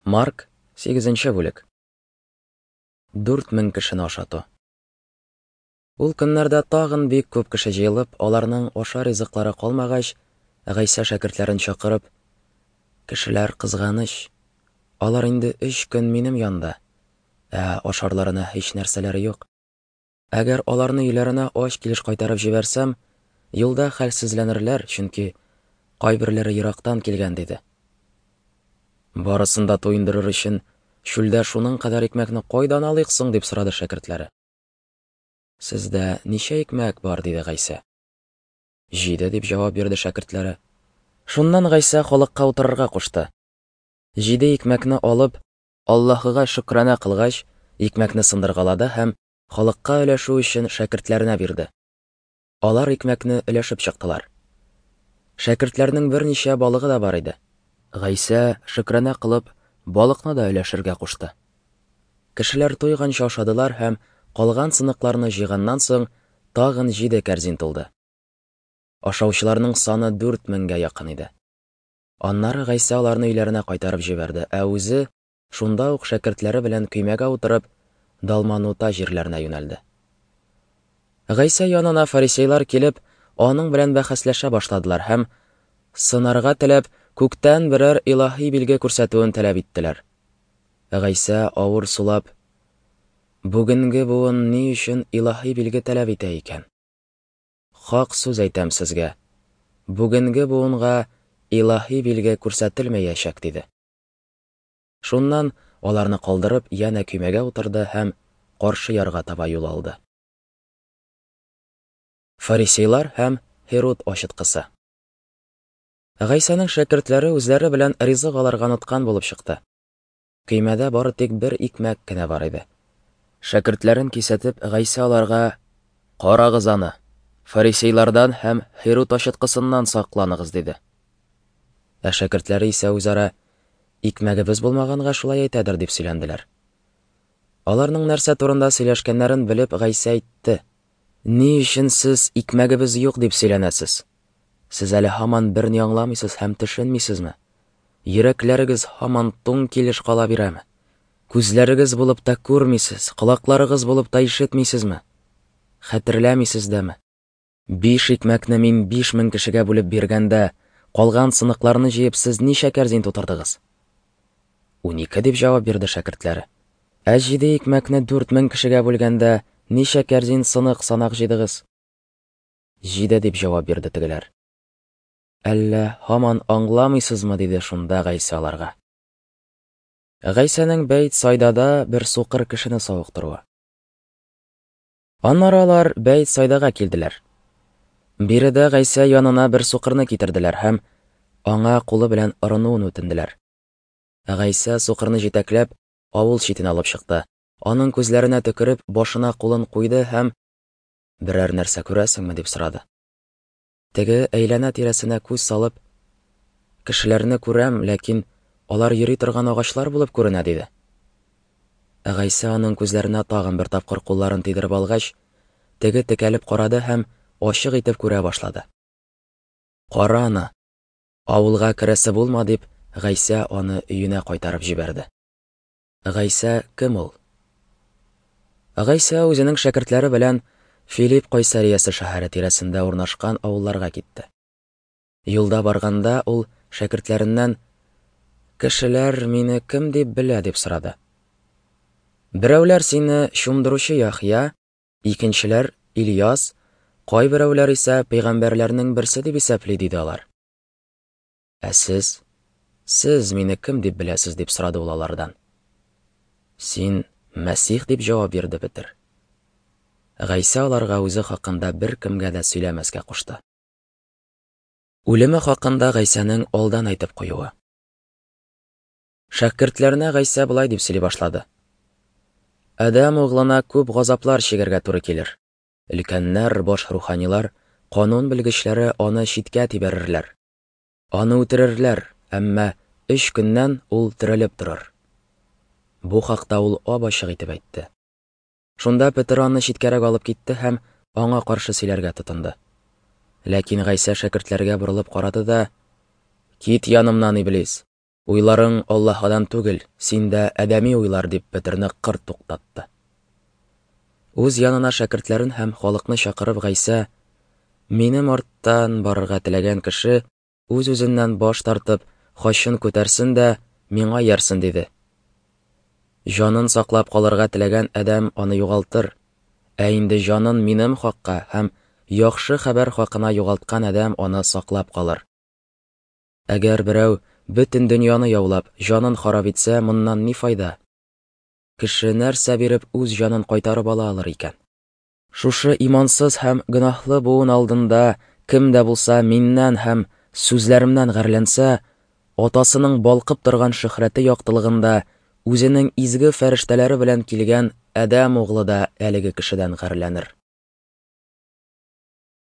Марк, 8 бүлек. 4000 кешене ашату. Ул көннәрдә тагын бик күп кеше җыелып, аларның ашар ризыклары калмагач, Гайсә шәкертләрен чакырып, Кешеләр кызганыч. Алар инде өч көн минем янда, ә ашарларына һич нәрсәләре юк. Әгәр аларны өйләренә ач килеш кайтарып җибәрсәм, юлда хәлсезләнерләр, чөнки кайберләре ерактан килгән, диде. Барысын да туендырыр өчен чүлдә шуның кадәр икмәкне кайдан алыйк соң, дип сорады шәкертләре. Сездә ничә икмәк бар, диде Гайсә. Җиде, дип җавап бирде шәкертләре. Шуннан Гайсә халыкка утырырга кушты. Җиде икмәкне алып, Аллаһыга шөкрана кылгач, икмәкне сындыргалады һәм халыкка өләшү өчен шәкертләренә бирде. Алар икмәкне өләшеп чыктылар. Шәкертләрнең берничә балыгы да бар иде. Гайсә, шөкрана кылып, балыкны да өләшергә кушты. Кешеләр туйганчы ашадылар һәм калган сыныкларны җыйганнан соң тагын җиде кәрзин тулды. Ашаучыларның саны 4000гә якын иде. Аннары Гайсә аларны өйләренә кайтарып җибәрде, ә үзе шунда ук шәкертләре белән көймәгә утырып, Далманута җирләренә юнәлде. Гайсә янына фарисейлар килеп, аның белән бәхәсләшә башладылар һәм, сынарга теләп, күктән берәр илаһи билге күрсәтүен таләп иттеләр. Гайсә авыр сулап, Бүгенге буын ни өчен илаһи билге таләп итә икән? Хак сүз әйтәм сезгә, бүгенге буынга илаһи билге күрсәтелмәячәк, диде. Шуннан аларны калдырып, янә көймәгә утырды һәм каршы ярга таба юл алды. Фарисейлар һәм Һируд ачыткысы. Гайсәнең шәкертләре үзләре белән ризык алырга оныткан булып чыкты. Көймәдә бары тик бер икмәк кенә бар иде. Шәкертләрен кисәтеп, Гайсә аларга: "Карагыз аны, фарисейлардан һәм Һируд ачыткысыннан сакланыгыз", диде. Ә шәкертләре исә үзара: "Икмәгебез булмаганга шулай әйтәдер", дип сөйләнделәр. Аларның нәрсә турында сөйләшкәннәрен белеп, Гайсә әйтте: "Ни өчен сез икмәгебез юк дип сөйләнәсез? Сез әле һаман берни аңламыйсыз һәм төшенмисезме? Йөрәкләрегез һаман туң килеш кала бирәме? Күзләрегез булып та күрмисез, колакларыгыз булып та ишетмисезме? Хәтерләмисез дәме? Биш икмәкне мин 5000 кешегә бүлеп биргәндә, калган сыныкларны җыеп сез ничә кәрзин тутырдыгыз? 12 дип җавап бирде шәкертләре. Ә җиде икмәкне 4000 кешегә бүлгәндә, ничә кәрзин сынык санак җыйдыгыз? Җиде дип җавап бирде тегеләр. Әллә һаман аңламыйсызмы, диде шунда Гайсә аларга. Гайсәнең Бәйт Сайдада бер сукыр кешене савыктыруы. Аннары алар Бәйт Сайдага килделәр. Биредә Гайсә янына бер сукырны китерделәр һәм аңа кулы белән орынуын үтенделәр. Гайсә сукырны җитәкләп авыл читенә алып чыкты. Аның күзләренә төкереп, башына кулын куйды һәм Берәр нәрсә күрәсеңме, дип сорады. Теге әйләнә тирәсенә күз салып, Кешеләрне күрәм, ләкин алар йөри торган агачлар булып күренә, диде. Ә Гайсә аның күзләренә тагын бер тапкыр кулларын тидереп алгач, теге текәлеп карады һәм ачык итеп күрә башлады. Кара аны, авылга керәсе булма, дип, Гайсә аны өенә кайтарып җибәрде. Гайсә кем ул? Гайсә үзенең шәкертләре белән Филипп Кайсариясе шәһәре тирәсендә урнашкан авылларга китте. Юлда барганда ул шәкертләреннән: "Кешеләр мине кем дип белә?" дип сорады. Берәүләр сине чумдыручы Яхъя, икенчеләр Ильяс, кайберәүләр исә пәйгамбәрләрнең берсе дип исәпли, диде алар. Ә сез? Сез мине кем дип беләсез? дип сорады ул алардан. Син Мәсих, дип җавап бирде Петер. Гайсә аларга үзе хакында беркемгә дә сөйләмәскә кушты. Үлеме хакында Гайсәнең алдан әйтеп куюы. Шәкертләренә Гайсә болай дип сөйли башлады. Адәм углына күп газаплар чигәргә туры килер. Өлкәннәр, баш руханилар, канун белгечләре аны читкә тибәрерләр. Аны үтерерләр, әмма өч көннән ул терелеп торыр. Бу хакта ул ап-ачык итеп әйтте. Шунда Петер аны читкәрәк алып китте һәм аңа каршы сөйләргә тотынды. Ләкин Гайсә шәкертләргә борылып карады да: "Кит янымнан, иблис! Уйларың Аллаһыдан түгел, синдә адәми уйлар, дип Петерне кырт туктатты. Үз янына шәкертләрен һәм халыкны чакырып Гайсә, Минем арттан барырга теләгән кеше үз-үзеннән баш тартып, хачын күтәрсен дә, миңа иярсен, диде. Җанын саклап калырга теләгән адәм аны югалтыр, ә инде җанын минем хакка һәм яхшы хәбәр хакына югалткан адәм аны саклап калыр. Әгәр берәү бөтен дөньяны яулап, җанын харап итсә, моннан ни файда? Кеше нәрсә биреп үз җанын кайтарып ала алыр икән? Шушы имансыз һәм гөнаһлы буын алдында кем дә булса миннән һәм сүзләремнән гарьләнсә, Атасының балкып торган шөһрәте яктылыгында үзенең изге фәрештәләре белән килгән Адәм углы да әлеге кешедән гарьләнер.